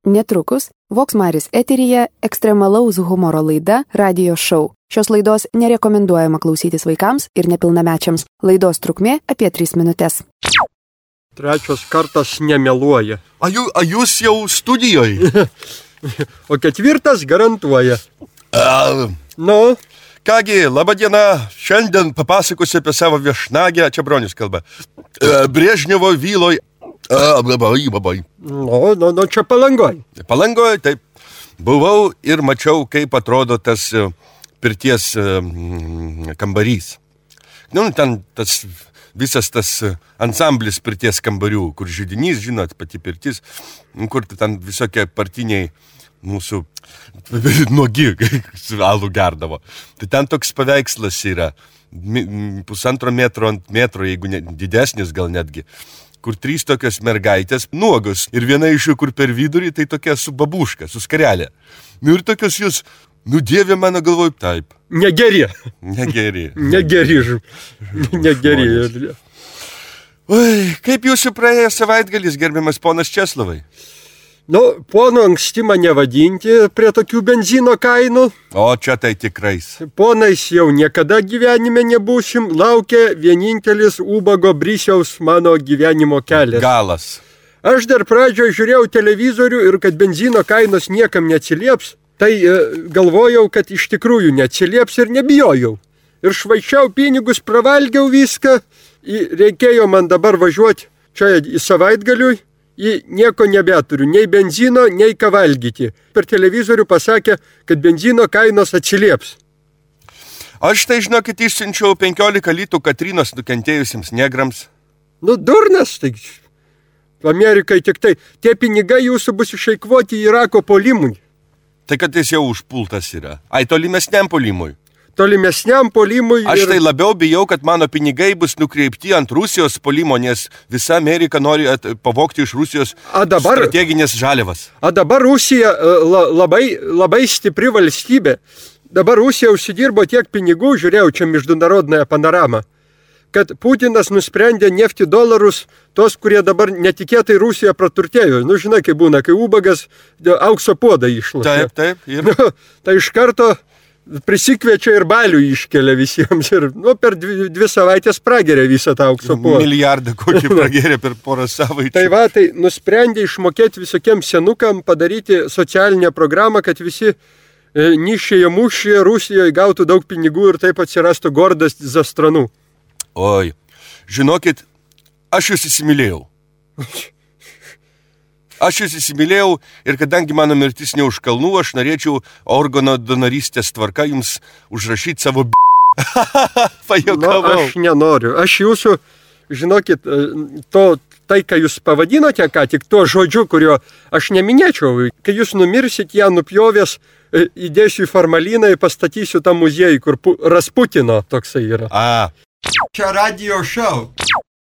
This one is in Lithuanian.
Netrukus Voksmaris eteryje ekstremalaus humoro laida Radio Show. Šios laidos nerekomenduojama klausytis vaikams ir nepilnamečiams. Laidos trukmė apie 3 minutės. Trečias kartas nemeluoja. A jūs jau studijoje? O ketvirtas garantuoja. Nu? Kągi, laba diena. Šiandien papasakosiu apie savo viešnagę, čia Bronius kalba. Brežnevo vyloj. Nu, čia Palangoj. Palangoj, taip. Buvau ir mačiau, kaip atrodo tas pirties kambarys. Nu, ten tas visas tas ansamblis pirties kambarių, kur židinys, žinot, pati pirtis, kur ten visokie partiniai mūsų nuogi alų gerdavo. Tai ten toks paveikslas yra, 1,5 metro ant metro, jeigu didesnis gal netgi, kur 3 tokios mergaitės nuogos ir viena iš jų, kur per vidurį, tai tokia su babuška, su skarelė. Nu ir tokios jūs, Dieve mano galvoj, taip. Negeri. Oi, kaip jūsų praėjo savaitgalis, gerbiamas ponas Česlovai? Nu, pono anksti mane vadinti prie tokių benzino kainų. O čia tai tikrais. Ponais jau niekada gyvenime nebūsim, laukia vienintelis ubago Brisiaus mano gyvenimo kelias. Galas. Aš dar pradžioje žiūrėjau televizorių ir kad benzino kainos niekam neatsilieps, tai galvojau, kad iš tikrųjų neatsilieps ir nebijojau. Ir švaičiau pinigus, pravalgiau viską, reikėjo man dabar važiuoti čia į savaitgaliui. Nieko nebeturiu, nei benzino, nei ką valgyti. Per televizorių pasakė, kad benzino kainos atsilieps. Aš tai, žinokit, išsiunčiau 15 litų Katrinos nukentėjusiems negrams. Nu, durnas, tai Amerikai tik tai. Tie pinigai jūsų bus išeikvoti Irako puolimui. Tai kad jis jau užpultas yra. Ai, tolimesniam puolimui. Tolimesniam puolimui. Aš tai labiau bijau, kad mano pinigai bus nukreipti ant Rusijos puolimo, nes visa Amerika nori pavogti iš Rusijos strateginės žaliavas. Dabar Rusija labai stipri valstybė. Dabar Rusija užsidirbo tiek pinigų, žiūrėjau čia международная panorama, kad Putinas nusprendė nefti dolarus, tos, kurie dabar netikėtai Rusija praturtėjo. Nu, žinai, kai būna, kai ubagas aukso puodą išlošia. Taip. Nu, tai iš karto prisikviečia ir balių iškelia visiems ir per 2 savaitės prageria visą tą aukso puodą. Milijardą kokį prageria per porą savaičių. Tai nusprendė išmokėti visokiems senukam, padaryti socialinę programą, kad visi nišėje mušėje Rusijoje gautų daug pinigų ir taip atsirastų gordas za stranų. Oi, žinokit, aš jūs įsimylėjau. Ir kadangi mano mirtis ne už kalnų, aš norėčiau organo donorystės tvarka jums užrašyti savo Pajokavau. Aš nenoriu. Aš jūsų, žinokit, tai, ką jūs pavadinote, ką tik tuo žodžiu, kurio aš neminėčiau. Kai jūs numirsit, ją nupjovęs, įdėsiu į formaliną ir pastatysiu tą muziejų, kur Rasputino toksai yra. A. Čia Radio Show.